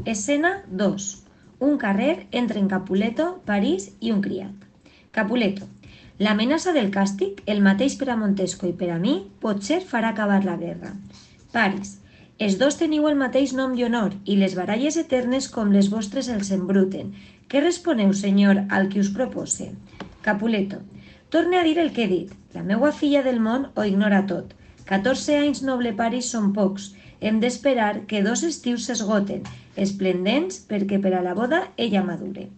Escena 2. Un carrer entre en Capuleto, París i un criat. Capuleto. L'amenaça del càstig, el mateix per a Montesco i per a mi, potser farà acabar la guerra. París. Els dos teniu el mateix nom i honor, i les baralles eternes com les vostres els embruten. Què responeu, senyor, al que us propose? Capuleto. Torne a dir el que he dit. La meua filla del món ho ignora tot. 14 anys noble París són pocs. Hem d'esperar que 2 estius s'esgoten, esplendents perquè per a la boda ella madure.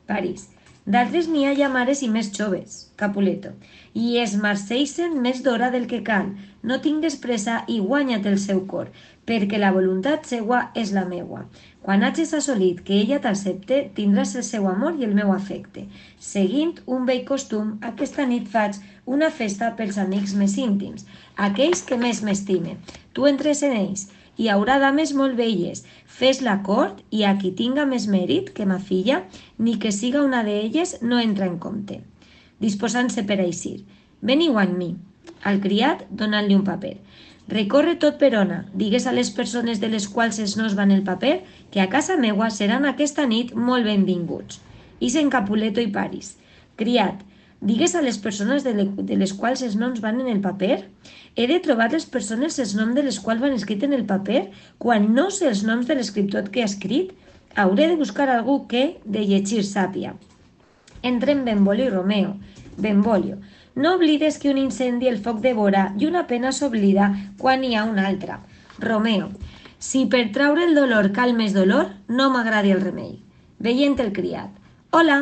París. D'altres n'hi ha ja mares i més joves. Capuleto. I es marceixen més d'hora del que cal. No tingues pressa i guanya't el seu cor, perquè la voluntat seua és la meua. Quan hagis assolit que ella t'accepte, tindràs el seu amor i el meu afecte. Seguint un vell costum, aquesta nit faig una festa pels amics més íntims, aquells que més m'estimen. Tu entres en ells. Hi haurà dames molt velles. Fes la cort i a qui tinga més mèrit que ma filla, ni que siga una d'elles, no entra en compte. Disposant-se per a eixir. Veniu amb mi. Al criat, donant-li un paper. Recorre tot Verona, digues a les persones de les quals es nos van el paper que a casa meua seran aquesta nit molt benvinguts. Ixen Capuleto i París. Criat, digues a les persones de les quals els noms van en el paper? He de trobar les persones els noms de les quals van escrit en el paper quan no sé els noms de l'escriptor que ha escrit? Hauré de buscar algú que de llegir sàpia. Entren Benvolio i Romeo. Benvolio. No oblides que un incendi el foc devora i una pena s'oblida quan hi ha una altra. Romeo. Si per traure el dolor cal més dolor, no m'agradi el remei. Veient el criat. Hola,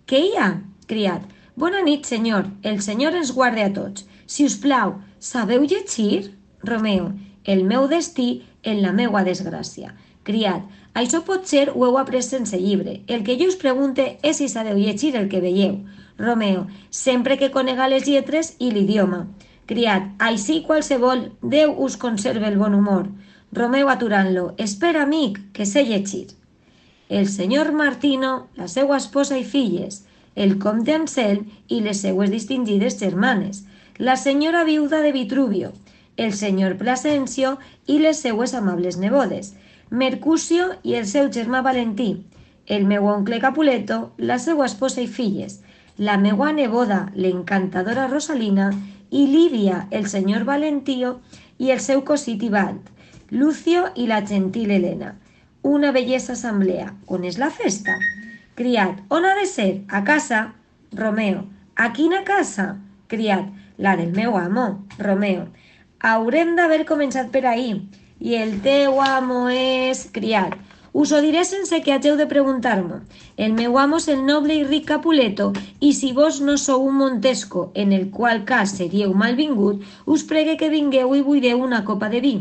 què hi ha? Criat. Bona nit, senyor. El senyor ens guarde a tots. Si us plau, sabeu llegir? Romeo. El meu destí en la meua desgràcia. Criat. Això potser ho heu après sense llibre. El que jo us pregunte és si sabeu llegir el que veieu. Romeo. Sempre que conega les lletres i l'idioma. Criat. Així qualsevol. Déu us conserve el bon humor. Romeo aturant-lo. Espera, amic, que sé llegir. El senyor Martino, la seua esposa i filles, el comte Anselm i les seues distingides germanes, la senyora viuda de Vitruvio, el senyor Plasencio i les seues amables nebodes, Mercucio i el seu germà Valentí, el meu oncle Capuleto, la seua esposa i filles, la meua neboda, l'encantadora Rosalina, i Lídia, el senyor Valentio i el seu cosí Tibalt, Lucio i la gentil Helena. Una bellesa assemblea. On és la festa? Criat. On ha de ser? A casa. Romeo. A quina casa? Criat. La del meu amo. Romeo. Haurem d'haver començat per ahir. I el teu amo és... Criat. Us ho diré sense que hageu de preguntar-m'ho. El meu amo és el noble i ric Capuleto, i si vos no sou un Montesco, en el qual cas seríeu malvingut, us pregue que vingueu i buideu una copa de vi.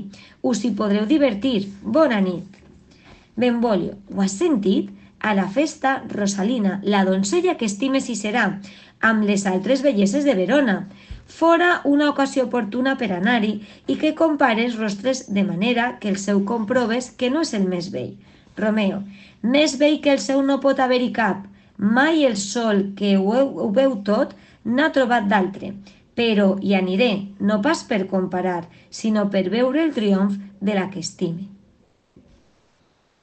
Us hi podreu divertir. Bona nit. Benvolio, ho has sentit? A la festa, Rosalina, la donzella que estimes hi serà, amb les altres belleses de Verona. Fora una ocasió oportuna per anar-hi i que compares rostres de manera que el seu comproves que no és el més vell. Romeo, més vell que el seu no pot haver-hi cap. Mai el sol que ho veu tot n'ha trobat d'altre. Però hi aniré, no pas per comparar, sinó per veure el triomf de la que estime.